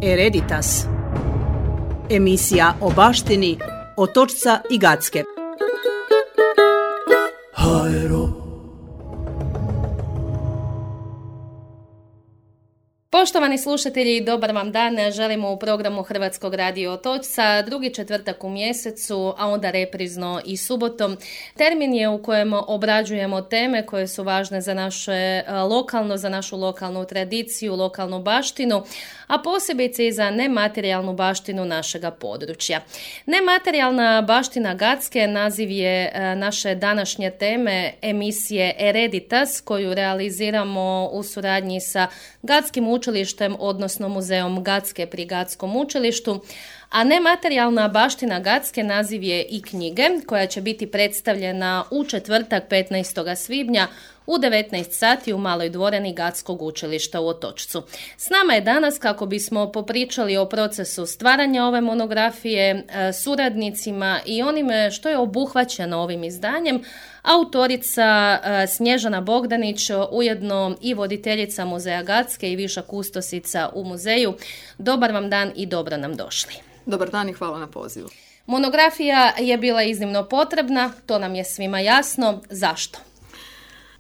Hereditas. Emisija o baštini Otočca i Gacke. Poštovani slušatelji, dobar vam dan. Želimo u programu Hrvatskog radio Otočca, drugi četvrtak u mjesecu, a onda reprizno i subotom. Termin je u kojem obrađujemo teme koje su važne za naše lokalno, za našu lokalnu tradiciju, lokalnu baštinu, a posebice i za nematerijalnu baštinu našega područja. Nematerijalna baština Gacke naziv je naše današnje teme emisije Hereditas, koju realiziramo u suradnji sa Gatskim učilištem, odnosno muzeom Gacke pri Gatskom učilištu. A nematerijalna baština Gacke naziv je i knjige koja će biti predstavljena u četvrtak 15. svibnja u 19 sati u Maloj dvorani Gatskog učilišta u Otočcu. S nama je danas kako bismo popričali o procesu stvaranja ove monografije, suradnicima i onime što je obuhvaćeno ovim izdanjem, autorica Snježana Bogdanić, ujedno i voditeljica muzeja Gacke i viša kustosica u muzeju. Dobar vam dan i dobro nam došli. Dobar dan i hvala na pozivu. Monografija je bila iznimno potrebna, to nam je svima jasno. Zašto?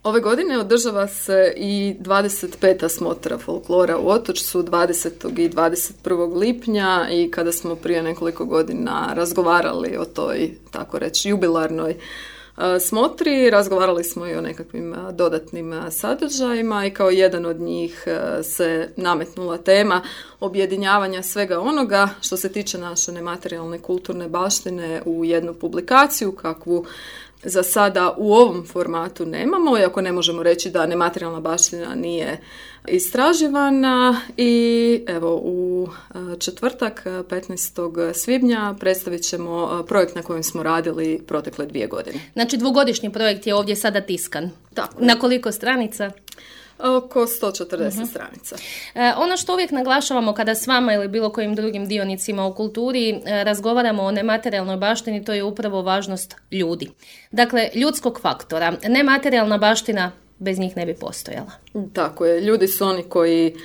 Ove godine održava se i 25. smotra folklora u Otočcu 20. i 21. lipnja i kada smo prije nekoliko godina razgovarali o toj, tako reći, jubilarnoj smotri, razgovarali smo i o nekakvim dodatnim sadržajima i kao jedan od njih se nametnula tema objedinjavanja svega onoga što se tiče naše nematerijalne kulturne baštine u jednu publikaciju kakvu za sada u ovom formatu nemamo, iako ne možemo reći da nematerijalna baština nije istraživana. I evo u četvrtak 15. svibnja predstavit ćemo projekt na kojem smo radili protekle 2 godine. Znači dvogodišnji projekt je ovdje sada tiskan. Tako. Na koliko stranica? Oko 140 stranica. Ono što uvijek naglašavamo kada s vama ili bilo kojim drugim dionicima u kulturi razgovaramo o nematerijalnoj baštini, to je upravo važnost ljudi. Dakle, ljudskog faktora. Nematerijalna baština bez njih ne bi postojala. Tako je. Ljudi su oni koji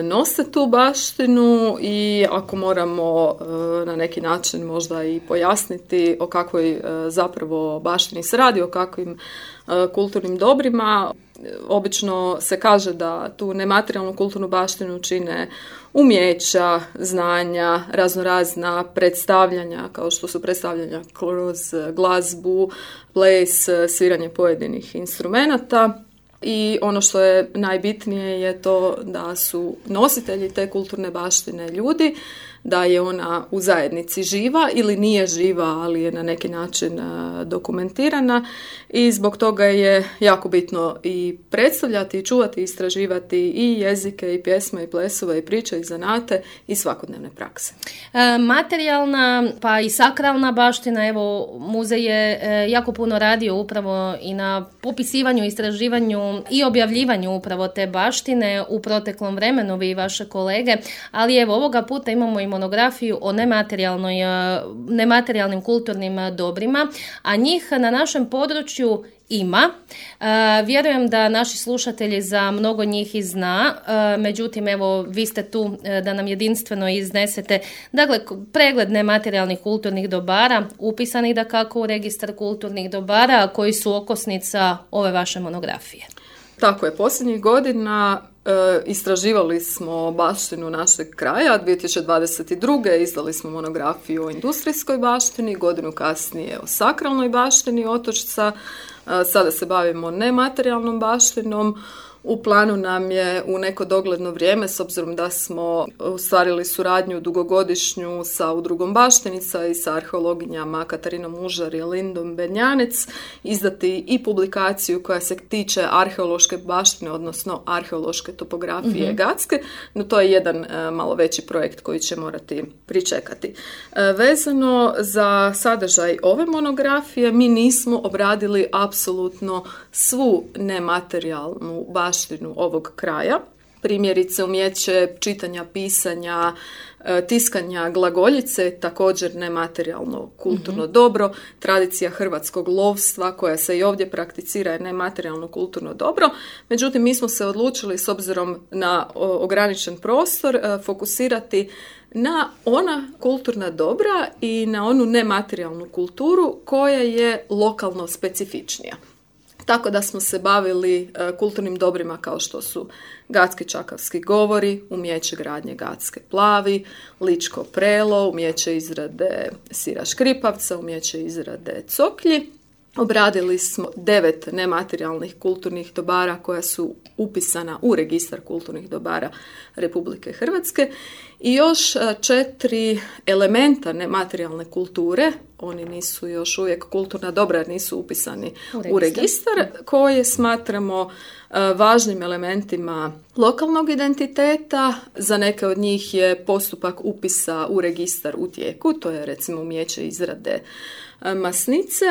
nose tu baštinu i ako moramo na neki način možda i pojasniti o kakvoj zapravo baštini se radi, o kakvim kulturnim dobrima, obično se kaže da tu nematerijalnu kulturnu baštinu čine umjeća, znanja, raznorazna predstavljanja, kao što su predstavljanja kroz glazbu, ples, sviranje pojedinih instrumenata. I ono što je najbitnije je to da su nositelji te kulturne baštine ljudi, da je ona u zajednici živa ili nije živa, ali je na neki način dokumentirana i zbog toga je jako bitno i predstavljati, i čuvati, i istraživati i jezike, i pjesme, i plesove, i priče, i zanate, i svakodnevne prakse. Materijalna pa i sakralna baština, evo muzej je jako puno radio upravo i na popisivanju, istraživanju i objavljivanju upravo te baštine u proteklom vremenu, vi i vaše kolege, ali evo ovoga puta imamo i monografiju o nematerijalnim kulturnim dobrima, a njih na našem području ima. Vjerujem da naši slušatelji za mnogo njih i zna, međutim evo vi ste tu da nam jedinstveno iznesete, dakle pregled nematerijalnih kulturnih dobara, upisanih dakako u registar kulturnih dobara koji su okosnica ove vaše monografije. Tako je, posljednjih godina istraživali smo baštinu našeg kraja. 2022. izdali smo monografiju o industrijskoj baštini, godinu kasnije o sakralnoj baštini Otočca. Sada se bavimo nematerijalnom baštinom. U planu nam je u neko dogledno vrijeme, s obzirom da smo ostvarili suradnju dugogodišnju sa Udrugom Baštenica i sa arheologinjama Katarinom Užar i Lindom Benjanec, izdati i publikaciju koja se tiče arheološke baštine, odnosno arheološke topografije Gacke, no to je jedan malo veći projekt koji će morati pričekati. Vezano za sadržaj ove monografije, mi nismo obradili apsolutno svu nematerijalnu baštinu ovog kraja. Primjerice umijeće čitanja, pisanja, tiskanja glagoljice, također nematerijalno kulturno dobro. Tradicija hrvatskog lovstva koja se i ovdje prakticira je nematerijalno kulturno dobro. Međutim, mi smo se odlučili s obzirom na ograničen prostor fokusirati na ona kulturna dobra i na onu nematerijalnu kulturu koja je lokalno specifičnija. Tako da smo se bavili kulturnim dobrima kao što su gatski čakavski govori, umijeće gradnje gatske plavi, ličko prelo, umijeće izrade sira škripavca, umijeće izrade coklji. Obradili smo 9 nematerijalnih kulturnih dobara koja su upisana u registar kulturnih dobara Republike Hrvatske i još 4 elementa nematerijalne kulture, oni nisu još uvijek kulturna dobra jer nisu upisani u registar, koje smatramo važnim elementima lokalnog identiteta. Za neke od njih je postupak upisa u registar u tijeku, to je recimo umijeće izrade masnice.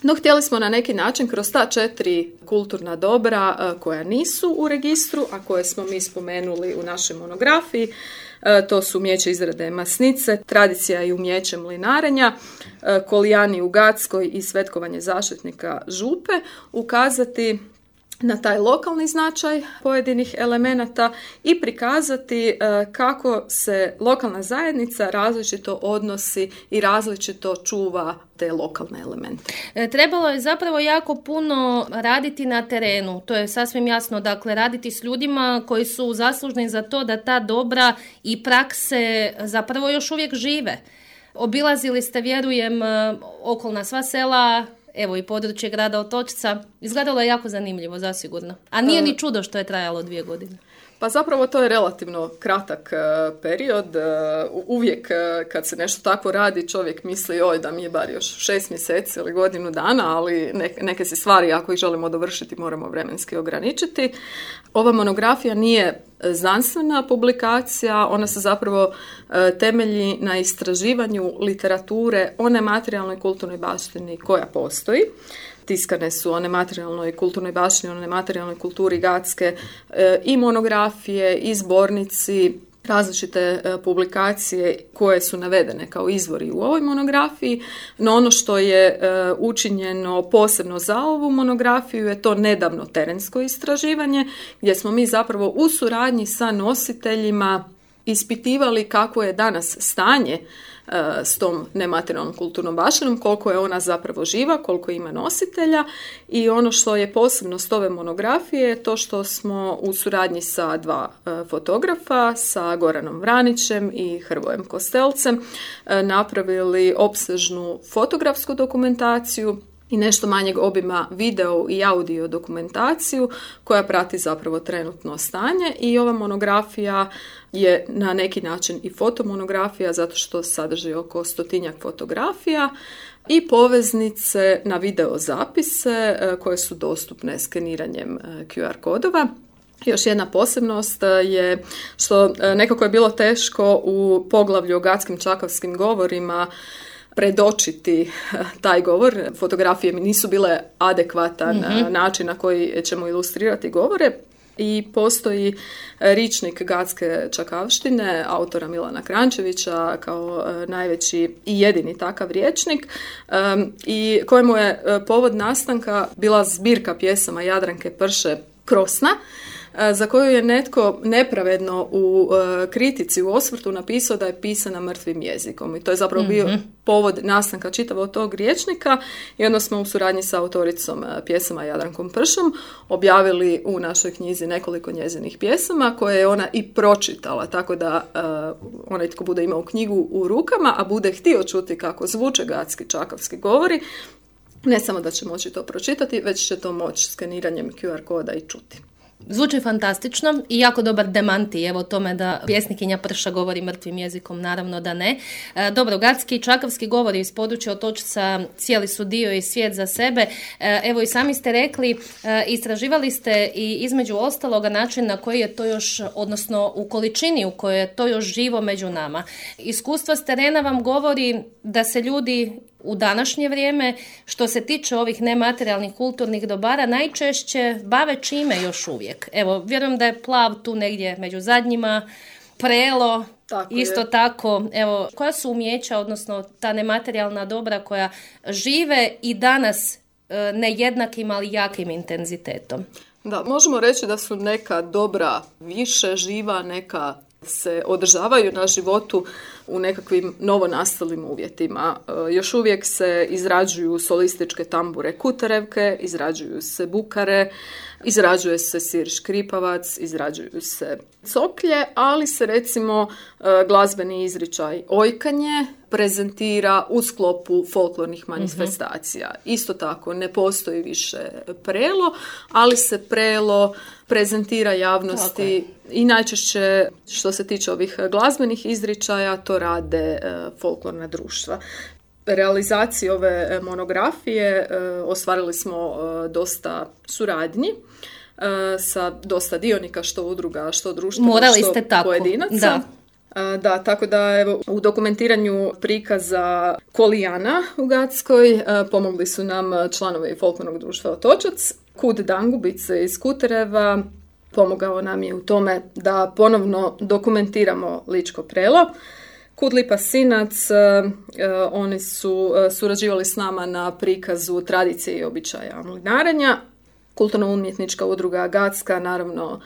No, htjeli smo na neki način kroz ta 4 kulturna dobra koja nisu u registru, a koje smo mi spomenuli u našoj monografiji, to su umijeće izrade masnice, tradicija i umijeće mlinarenja, kolijani u Gatskoj i svetkovanje zaštitnika župe, ukazati na taj lokalni značaj pojedinih elemenata i prikazati kako se lokalna zajednica različito odnosi i različito čuva te lokalne elemente. Trebalo je zapravo jako puno raditi na terenu, to je sasvim jasno, dakle raditi s ljudima koji su zaslužni za to da ta dobra i prakse zapravo još uvijek žive. Obilazili ste, vjerujem, okolna sva sela, evo i područje grada Otočca. Izgledalo je jako zanimljivo, zasigurno. A nije ni čudo što je trajalo 2 godine. Pa zapravo to je relativno kratak period. Uvijek kad se nešto tako radi, čovjek misli da mi je bar još 6 mjeseci ili godinu dana, ali neke se stvari, ako ih želimo dovršiti, moramo vremenski ograničiti. Ova monografija nije znanstvena publikacija, ona se zapravo temelji na istraživanju literature o nematerijalnoj kulturnoj baštini koja postoji. Tiskane su o nematerijalnoj kulturnoj baštini, o nematerijalnoj kulturi Gatske i monografije i zbornici, različite publikacije koje su navedene kao izvori u ovoj monografiji, no ono što je učinjeno posebno za ovu monografiju je to nedavno terensko istraživanje gdje smo mi zapravo u suradnji sa nositeljima ispitivali kako je danas stanje s tom nematerijalnom kulturnom baštinom, koliko je ona zapravo živa, koliko ima nositelja i ono što je posebno s ove monografije je to što smo u suradnji sa 2 fotografa, sa Goranom Vranićem i Hrvojem Kostelcem napravili opsežnu fotografsku dokumentaciju i nešto manjeg obima video i audio dokumentaciju koja prati zapravo trenutno stanje i ova monografija je na neki način i fotomonografija zato što sadrži oko 100-tinjak fotografija i poveznice na video zapise koje su dostupne skeniranjem QR kodova. Još jedna posebnost je što nekako je bilo teško u poglavlju o gatskim čakavskim govorima predočiti taj govor. Fotografije mi nisu bile adekvatan način na koji ćemo ilustrirati govore i postoji ričnik gatske čakavštine autora Milana Krančevića kao najveći i jedini takav rječnik i kojemu je povod nastanka bila zbirka pjesama Jadranke Prše Krosna, za koju je netko nepravedno u kritici, u osvrtu napisao da je pisana mrtvim jezikom. I to je zapravo bio povod nastanka čitavog tog rječnika i onda smo u suradnji sa autoricom pjesama Jadrankom Pršom objavili u našoj knjizi nekoliko njezinih pjesama koje je ona i pročitala, tako da onaj tko bude imao knjigu u rukama, a bude htio čuti kako zvuče gatski čakavski govori, ne samo da će moći to pročitati, već će to moći skeniranjem QR koda i čuti. Zvuči fantastično i jako dobar demanti evo tome da pjesnikinja Prša govori mrtvim jezikom, naravno da ne. Dobro, gatski i čakavski govori iz područja Otočca cijeli su dio i svijet za sebe. Evo i sami ste rekli, istraživali ste i između ostaloga način na koji je to još, odnosno u količini u kojoj je to još živo među nama. Iskustvo s terena vam govori da se ljudi u današnje vrijeme, što se tiče ovih nematerijalnih kulturnih dobara, najčešće bave čime još uvijek? Evo, vjerujem da je plav tu negdje među zadnjima, prelo, isto tako. Evo, koja su umijeća, odnosno ta nematerijalna dobra koja žive i danas nejednakim, ali jakim intenzitetom? Da, možemo reći da su neka dobra više živa, neka se održavaju na životu u nekakvim novonastalim uvjetima. Još uvijek se izrađuju solističke tambure kuterevke, izrađuju se bukare, izrađuje se sir škripavac, izrađuju se coklje, ali se recimo glazbeni izričaj ojkanje prezentira u sklopu folklornih manifestacija. Isto tako, ne postoji više prelo, ali se prelo prezentira javnosti i najčešće što se tiče ovih glazbenih izričaja to rade folklorna društva. Realizaciji ove monografije ostvarili smo dosta suradnji sa dosta dionika, što udruga, što društva, što pojedinaca. Da, tako da evo, u dokumentiranju prikaza Kolijana u Gatskoj pomogli su nam članovi folklornog društva Otočac. Kud Dangubice iz Kutereva pomogao nam je u tome da ponovno dokumentiramo ličko prelo. Kud Lipa Sinac, oni su surađivali s nama na prikazu tradicije i običaja mlinarenja. Kulturno-umjetnička udruga Gatska, naravno,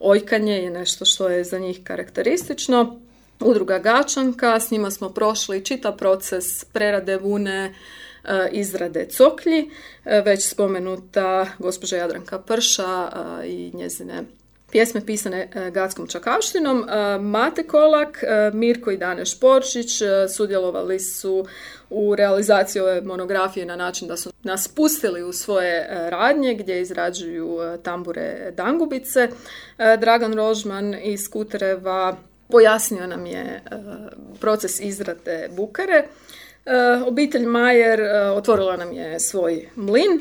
ojkanje je nešto što je za njih karakteristično. Udruga Gačanka, s njima smo prošli čitav proces prerade vune, izrade coklji. Već spomenuta gospođa Jadranka Prša i njezine pjesme pisane gatskom čakavštinom. Mate Kolak, Mirko i Dane Šporčić sudjelovali su u realizaciji ove monografije na način da su nas pustili u svoje radnje gdje izrađuju tambure Dangubice. Dragan Rožman iz Kutereva pojasnio nam je proces izrade bukare. Obitelj Majer otvorila nam je svoj mlin,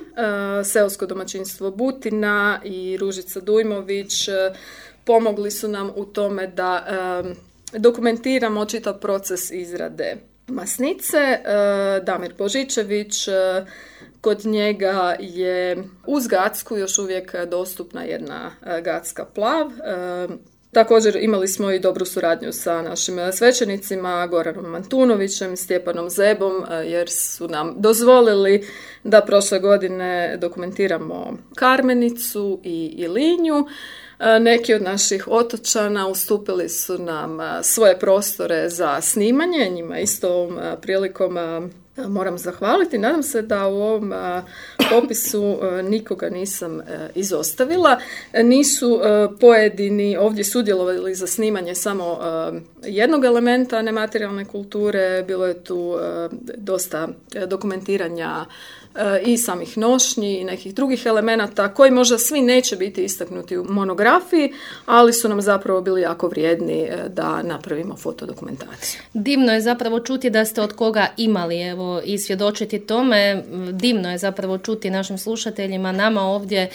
seosko domaćinstvo Butina i Ružica Dujmović pomogli su nam u tome da dokumentiramo čitav proces izrade masnice. Damir Božičević, kod njega je uz Gatsku još uvijek dostupna jedna gatska plav. Također imali smo i dobru suradnju sa našim svećenicima Goranom Mantunovićem, Stjepanom Zebom, jer su nam dozvolili da prošle godine dokumentiramo Karmenicu i Linju. Neki od naših otočana ustupili su nam svoje prostore za snimanje, njima isto ovom prilikom moram zahvaliti. Nadam se da u ovom popisu nikoga nisam izostavila. Nisu pojedini ovdje sudjelovali za snimanje samo jednog elementa nematerijalne kulture. Bilo je tu dosta dokumentiranja i samih nošnji i nekih drugih elemenata koji možda svi neće biti istaknuti u monografiji, ali su nam zapravo bili jako vrijedni da napravimo fotodokumentaciju. Divno je zapravo čuti da ste od koga imali, evo, i svjedočiti tome. Divno je zapravo čuti našim slušateljima, nama ovdje,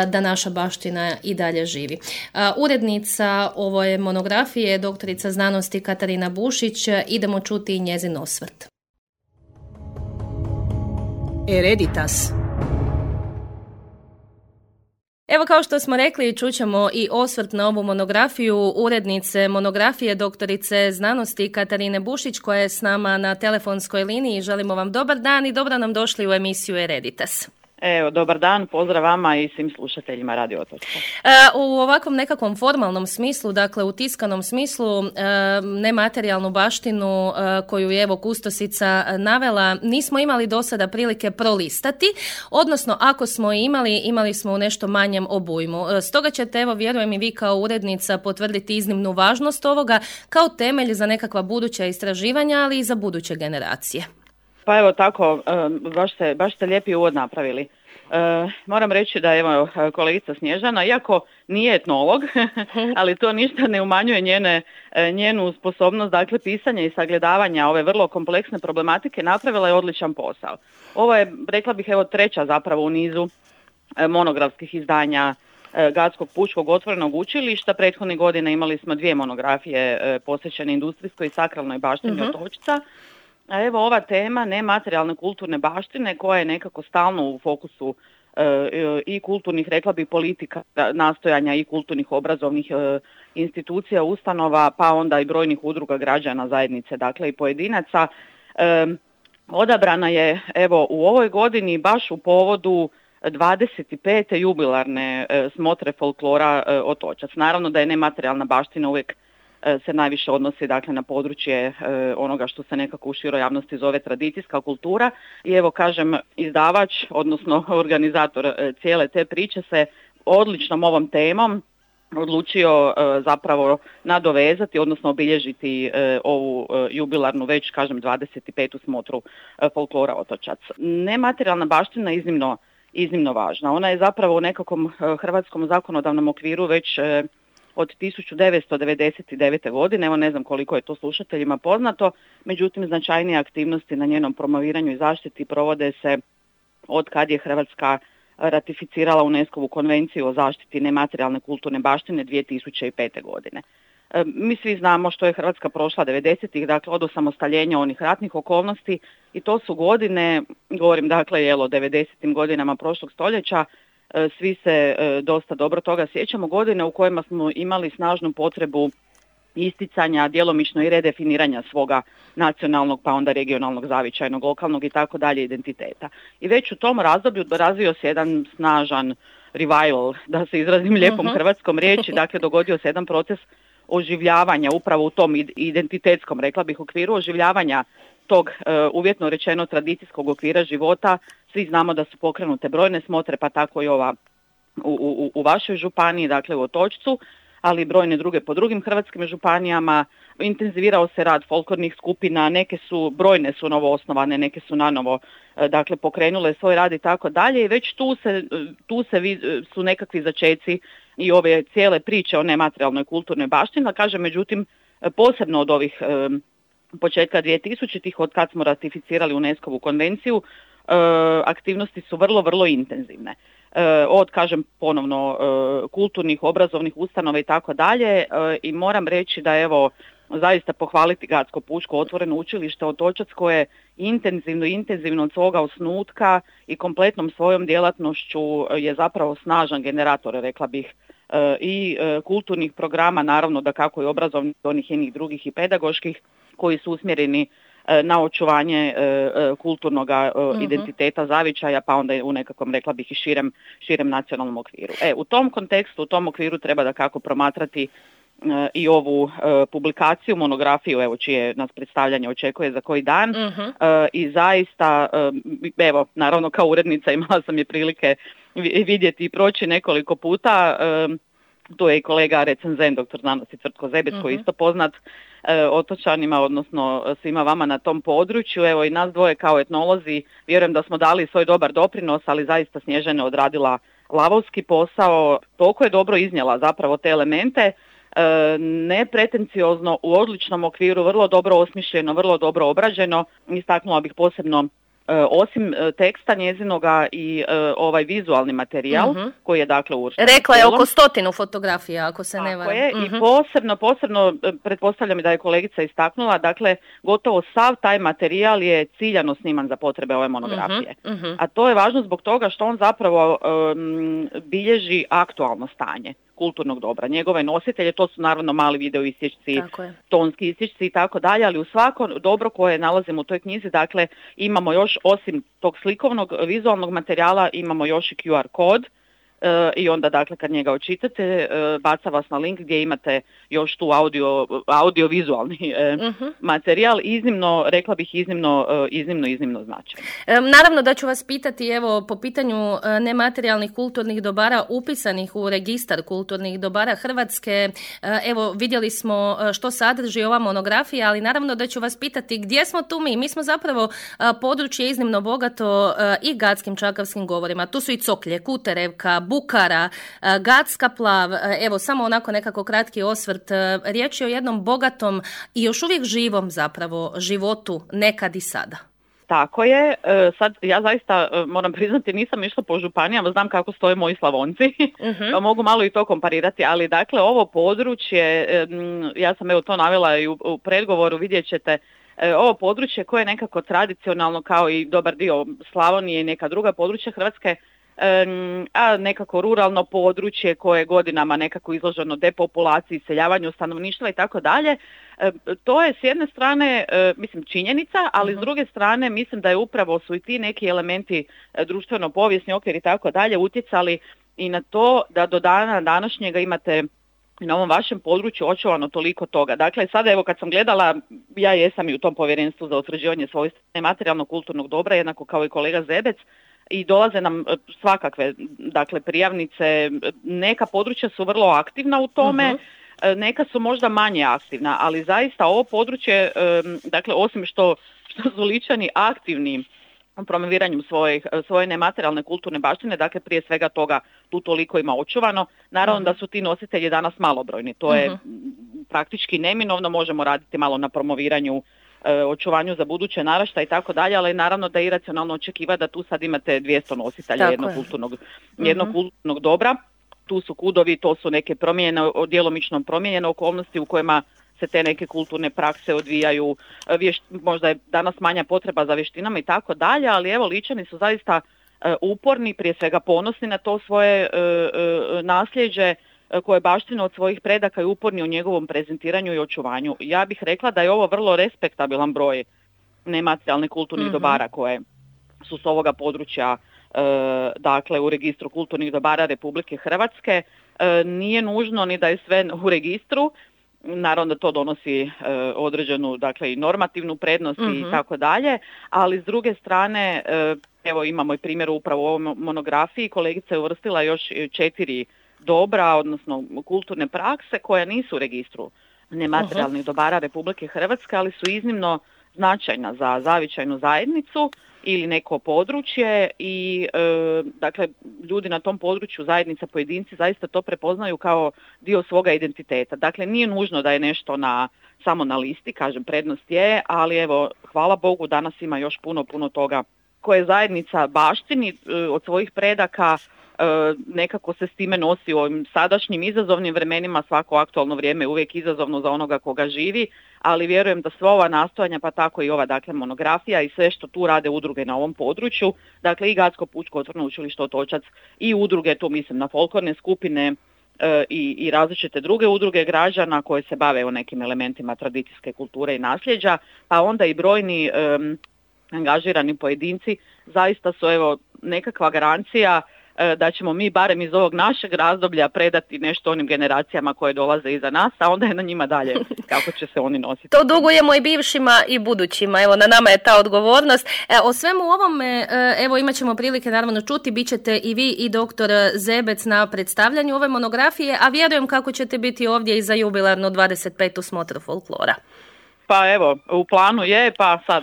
da naša baština i dalje živi. Urednica ove monografije je doktorica znanosti Katarina Bušić. Idemo čuti i njezin osvrt. Hereditas. Evo, kao što smo rekli, čućemo i osvrt na ovu monografiju urednice monografije doktorice znanosti Katarine Bušić, koja je s nama na telefonskoj liniji. Želimo vam dobar dan i dobro nam došli u emisiju Hereditas. Evo, dobar dan, pozdrav vama i svim slušateljima Radio Otočka. U ovakvom nekakvom formalnom smislu, dakle u tiskanom smislu, nematerijalnu baštinu koju je evo kustosica navela, nismo imali do sada prilike prolistati, odnosno ako smo imali smo u nešto manjem obujmu. Stoga ćete, evo, vjerujem i vi kao urednica, potvrditi iznimnu važnost ovoga kao temelj za nekakva buduća istraživanja, ali i za buduće generacije. Pa evo tako, baš ste lijepi uvod napravili. Moram reći da evo kolegica Snježana, iako nije etnolog, ali to ništa ne umanjuje njenu sposobnost, dakle, pisanja i sagledavanja ove vrlo kompleksne problematike, napravila je odličan posao. Ovo je, rekla bih, evo treća zapravo u nizu monografskih izdanja Gatskog pučkog otvorenog učilišta. Prethodne godine imali smo 2 monografije posvećene industrijskoj i sakralnoj baštini Otočca. A evo ova tema nematerijalne kulturne baštine koja je nekako stalno u fokusu i kulturnih, rekla bi, politika, nastojanja i kulturnih obrazovnih institucija, ustanova, pa onda i brojnih udruga građana, zajednice, dakle i pojedinaca. Odabrana je evo u ovoj godini baš u povodu 25. jubilarne smotre folklora Otočac. Naravno da je nematerijalna baština uvijek se najviše odnosi dakle na područje onoga što se nekako u široj javnosti zove tradicijska kultura i evo kažem izdavač, odnosno organizator cijele te priče se odličnom ovom temom odlučio zapravo nadovezati, odnosno obilježiti ovu jubilarnu, već kažem 25. smotru folklora Otočac. Nematerijalna baština je iznimno važna. Ona je zapravo u nekakvom hrvatskom zakonodavnom okviru već od 1999. godine, evo ne znam koliko je to slušateljima poznato, međutim značajnije aktivnosti na njenom promoviranju i zaštiti provode se od kad je Hrvatska ratificirala UNESCO-vu konvenciju o zaštiti nematerijalne kulturne baštine 2005. godine. Mi svi znamo što je Hrvatska prošla 90-ih, dakle od osamostaljenja onih ratnih okolnosti i to su godine, govorim dakle o 90-im godinama prošlog stoljeća, svi se dosta dobro toga sjećamo, godine u kojima smo imali snažnu potrebu isticanja, djelomično i redefiniranja svoga nacionalnog, pa onda regionalnog, zavičajnog, lokalnog i tako dalje identiteta. I već u tom razdoblju razvio se jedan snažan revival, da se izrazim lijepom hrvatskom riječi, dakle dogodio se jedan proces oživljavanja upravo u tom identitetskom, rekla bih, okviru oživljavanja tog uvjetno rečeno tradicijskog okvira života. Svi znamo da su pokrenute brojne smotre, pa tako i ova u vašoj županiji, dakle u Otočcu, ali i brojne druge po drugim hrvatskim županijama. Intenzivirao se rad folklornih skupina, brojne su novo osnovane, neke su nanovo dakle pokrenule svoj rad i tako dalje i već tu su nekakvi začeci i ove cijele priče o nematerijalnoj kulturnoj baštini, kažem, međutim posebno od ovih početka 2000-ih, od kad smo ratificirali UNESCO-vu konvenciju, aktivnosti su vrlo, vrlo intenzivne. Od, kažem ponovno, kulturnih, obrazovnih ustanova i tako dalje i moram reći da evo zaista pohvaliti Gradsko pučko otvoreno učilište Otočac koje intenzivno od svoga osnutka i kompletnom svojom djelatnošću je zapravo snažan generator, rekla bih, i kulturnih programa, naravno da kako i obrazovnih, onih jednih drugih i pedagoških koji su usmjereni na očuvanje kulturnog identiteta, zavičaja, pa onda u nekakvom, rekla bih, i širem nacionalnom okviru. U tom kontekstu, u tom okviru treba da kako promatrati i ovu publikaciju, monografiju, evo čije nas predstavljanje očekuje za koji dan. I zaista, evo, naravno kao urednica imala sam je prilike vidjeti i proći nekoliko puta. Tu je i kolega recenzent, doktor znanosti Cvrtko Zebec, koji je isto poznat otočanima, odnosno svima vama na tom području. Evo i nas dvoje kao etnolozi, vjerujem da smo dali svoj dobar doprinos, ali zaista Snježana odradila lavovski posao, toliko je dobro iznijela zapravo te elemente, nepretenciozno, u odličnom okviru, vrlo dobro osmišljeno, vrlo dobro obrađeno. Istaknula bih posebno osim teksta njezinoga i ovaj vizualni materijal koji je dakle uvršten. Rekla je oko 100 fotografija, ako se ne varam. I posebno, pretpostavljam da je kolegica istaknula, dakle gotovo sav taj materijal je ciljano sniman za potrebe ove monografije. A to je važno zbog toga što on zapravo bilježi aktualno stanje kulturnog dobra. Njegove nositelje, to su naravno mali video isječci, tonski isječci i tako dalje, ali u svako dobro koje nalazimo u toj knjizi, dakle, imamo još, osim tog slikovnog, vizualnog materijala, imamo još i QR kod i onda, dakle, kad njega očitate, baca vas na link gdje imate još tu audio-vizualni materijal, iznimno, rekla bih, iznimno značajan. Naravno da ću vas pitati, evo, po pitanju nematerijalnih kulturnih dobara upisanih u registar kulturnih dobara Hrvatske, evo, vidjeli smo što sadrži ova monografija, ali naravno da ću vas pitati gdje smo tu mi? Mi smo zapravo područje iznimno bogato i gadskim čakavskim govorima. Tu su i Coklje, Kuterevka, Bukara, Gatska plav, evo samo onako nekako kratki osvrt. Riječ je o jednom bogatom i još uvijek živom zapravo životu nekad i sada. Tako je, sad ja zaista moram priznati nisam išla po županijama, znam kako stoje moji Slavonci, pa mogu malo i to komparirati, ali dakle ovo područje, ja sam evo to navela i u predgovoru, vidjet ćete ovo područje koje je nekako tradicionalno kao i dobar dio Slavonije i neka druga područja Hrvatske, a nekako ruralno područje koje je godinama nekako izloženo depopulaciji, iseljavanju stanovništva i tako dalje. To je s jedne strane, mislim, činjenica, ali s druge strane mislim da je upravo su i ti neki elementi društveno-povijesni okvir i tako dalje utjecali i na to da do dana današnjega imate na ovom vašem području očuvano toliko toga. Dakle, sada evo kad sam gledala, ja jesam i u tom povjerenstvu za utvrđivanje svojstva nematerijalnog kulturnog dobra, jednako kao i kolega Zebec, i dolaze nam svakakve, dakle, prijavnice, neka područja su vrlo aktivna u tome, neka su možda manje aktivna, ali zaista ovo područje, dakle, osim što su Ličani aktivni u promoviranju svoje nematerijalne kulturne baštine, dakle prije svega toga tu toliko ima očuvano. Naravno da su ti nositelji danas malobrojni, to je praktički neminovno, možemo raditi malo na promoviranju, očuvanju za buduće naraštaje i tako dalje, ali naravno da je iracionalno očekivati da tu sad imate 200 nositelja jednog kulturnog dobra. Tu su kudovi, to su neke promjene, djelomično promijenjene okolnosti u kojima se te neke kulturne prakse odvijaju, možda je danas manja potreba za vještinama i tako dalje, ali evo Ličani su zaista uporni, prije svega ponosni na to svoje nasljeđe koje baštine od svojih predaka i uporni u njegovom prezentiranju i očuvanju. Ja bih rekla da je ovo vrlo respektabilan broj nematerijalnih kulturnih dobara koje su s ovoga područja, dakle u registru kulturnih dobara Republike Hrvatske. Nije nužno ni da je sve u registru, naravno da to donosi određenu, dakle, i normativnu prednost i tako dalje, ali s druge strane, evo imamo i primjer upravo u ovoj monografiji, kolegica je uvrstila još 4 dobra, odnosno kulturne prakse koje nisu u registru nematerijalnih dobara Republike Hrvatske, ali su iznimno značajna za zavičajnu zajednicu ili neko područje i dakle ljudi na tom području, zajednica, pojedinci zaista to prepoznaju kao dio svoga identiteta. Dakle, nije nužno da je nešto samo na listi, kažem, prednost je, ali evo, hvala Bogu, danas ima još puno toga koje zajednica baštini od svojih predaka, nekako se s time nosi u ovim sadašnjim izazovnim vremenima. Svako aktualno vrijeme je uvijek izazovno za onoga koga živi, ali vjerujem da sva ova nastojanja, pa tako i ova, dakle, monografija i sve što tu rade udruge na ovom području, dakle i Gatsko pučko otvoreno učilište Otočac i udruge, tu mislim na folklorne skupine i različite druge udruge građana koje se bave o nekim elementima tradicijske kulture i nasljeđa, pa onda i brojni angažirani pojedinci, zaista su evo nekakva garancija da ćemo mi barem iz ovog našeg razdoblja predati nešto onim generacijama koje dolaze iza nas, a onda je na njima dalje kako će se oni nositi. To dugujemo i bivšima i budućima, evo na nama je ta odgovornost. O svemu ovome, evo imat ćemo prilike naravno čuti, bit ćete i vi i doktor Zebec na predstavljanju ove monografije, a vjerujem kako ćete biti ovdje i za jubilarnu 25. smotru folklora. Pa evo, u planu je, pa sad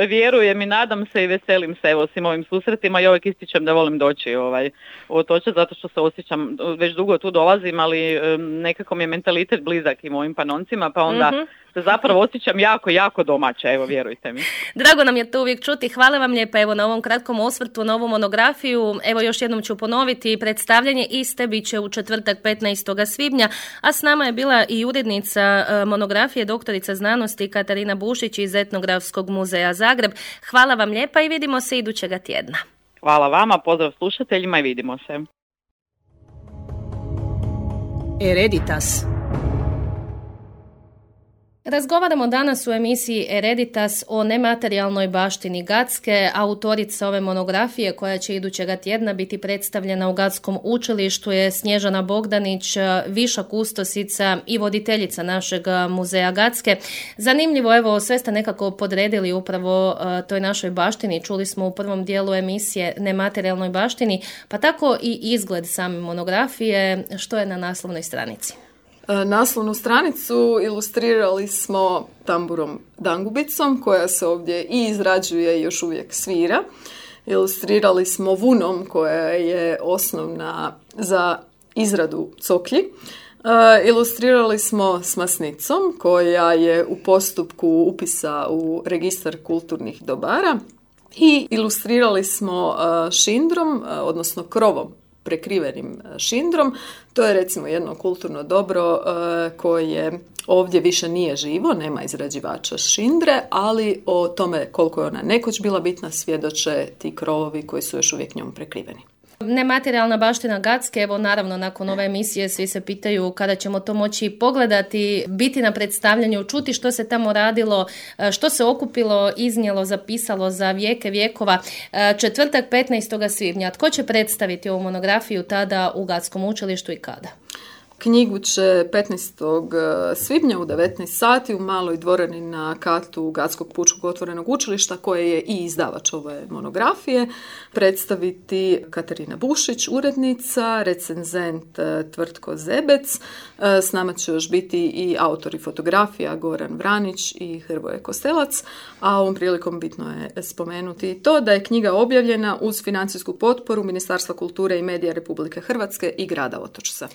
vjerujem i nadam se i veselim se evo svim ovim susretima i uvijek ističem da volim doći u Otočac zato što se osjećam, već dugo tu dolazim, ali nekako mi je mentalitet blizak i mojim Panoncima, pa onda se zapravo osjećam jako domaće, evo vjerujte mi. Drago nam je to uvijek čuti, hvala vam lijepa evo na ovom kratkom osvrtu, na ovu monografiju. Evo još jednom ću ponoviti, predstavljanje iste bit će u četvrtak 15. svibnja, a s nama je bila i urednica monografije, doktorica znanosti Katarina Bušić iz Etnografskog muzeja Zagreb. Hvala vam lijepa i vidimo se idućega tjedna. Hvala vama, pozdrav slušateljima i vidimo se. Hereditas. Razgovaramo danas u emisiji Hereditas o nematerijalnoj baštini Gatske. Autorica ove monografije koja će idućega tjedna biti predstavljena u Gatskom učilištu je Snježana Bogdanić, viša kustosica i voditeljica našeg muzeja Gatske. Zanimljivo, evo, sve ste nekako podredili upravo toj našoj baštini. Čuli smo u prvom dijelu emisije nematerijalnoj baštini, pa tako i izgled same monografije. Što je na naslovnoj stranici? Naslovnu stranicu ilustrirali smo tamburom dangubicom koja se ovdje i izrađuje i još uvijek svira. Ilustrirali smo vunom koja je osnovna za izradu coklji. Ilustrirali smo s masnicom koja je u postupku upisa u registar kulturnih dobara i ilustrirali smo šindrom, odnosno krovom prekrivenim šindrom. To je recimo jedno kulturno dobro koje ovdje više nije živo, nema izrađivača šindre, ali o tome koliko je ona nekoć bila bitna svjedoče ti krovovi koji su još uvijek njom prekriveni. Nematerijalna baština Gacke, evo naravno nakon ove emisije svi se pitaju kada ćemo to moći pogledati, biti na predstavljanju, čuti što se tamo radilo, što se okupilo, iznijelo, zapisalo za vijekova. Četvrtak 15. svibnja. Tko će predstaviti ovu monografiju tada u Gatskom učilištu i kada? Knjigu će 15. svibnja u 19 sati u maloj dvorani na katu Gatskog pučkog otvorenog učilišta, koje je i izdavač ove monografije, predstaviti Katarina Bušić, urednica, recenzent Tvrtko Zebec. S nama će još biti i autori fotografija Goran Vranić i Hrvoje Kostelac, a ovom prilikom bitno je spomenuti to da je knjiga objavljena uz financijsku potporu Ministarstva kulture i medija Republike Hrvatske i grada Otočca.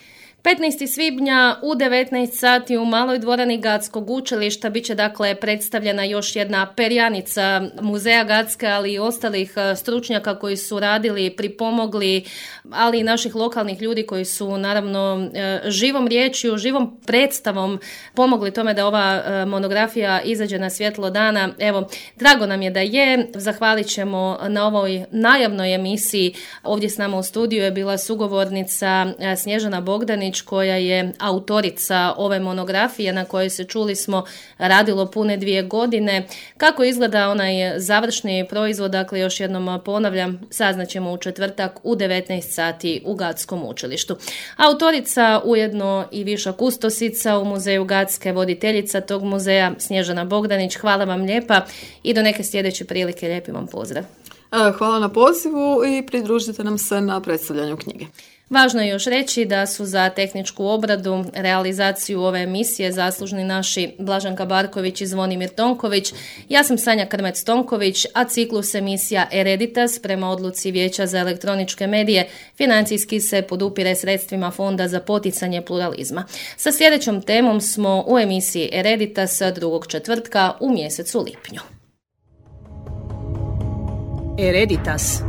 15. svibnja u 19 sati u maloj dvorani Gatskog učilišta bit će dakle predstavljena još jedna perjanica muzeja Gatske, ali i ostalih stručnjaka koji su radili, pripomogli, ali i naših lokalnih ljudi koji su naravno živom riječju, živom predstavom pomogli tome da ova monografija izađe na svjetlo dana. Evo, drago nam je da je. Zahvalit ćemo na ovoj najavnoj emisiji. Ovdje s nama u studiju je bila sugovornica Snježana Bogdanić, koja je autorica ove monografije na kojoj se, čuli smo, radilo pune 2 godine. Kako izgleda onaj završni proizvod, dakle još jednom ponavljam, saznaćemo u četvrtak u 19 sati u Gatskom učilištu. Autorica, ujedno i viša kustosica u muzeju Gatske, voditeljica tog muzeja Snježana Bogdanić. Hvala vam lijepa i do neke sljedeće prilike. Lijepi vam pozdrav. Hvala na pozivu i pridružite nam se na predstavljanju knjige. Važno je još reći da su za tehničku obradu, realizaciju ove emisije zaslužni naši Blaženka Barković i Zvonimir Tonković. Ja sam Sanja Krmec-Tonković, a ciklus emisija Ereditas prema odluci Vijeća za elektroničke medije financijski se podupire sredstvima Fonda za poticanje pluralizma. Sa sljedećom temom smo u emisiji Ereditas drugog četvrtka u mjesecu lipnju. Ereditas.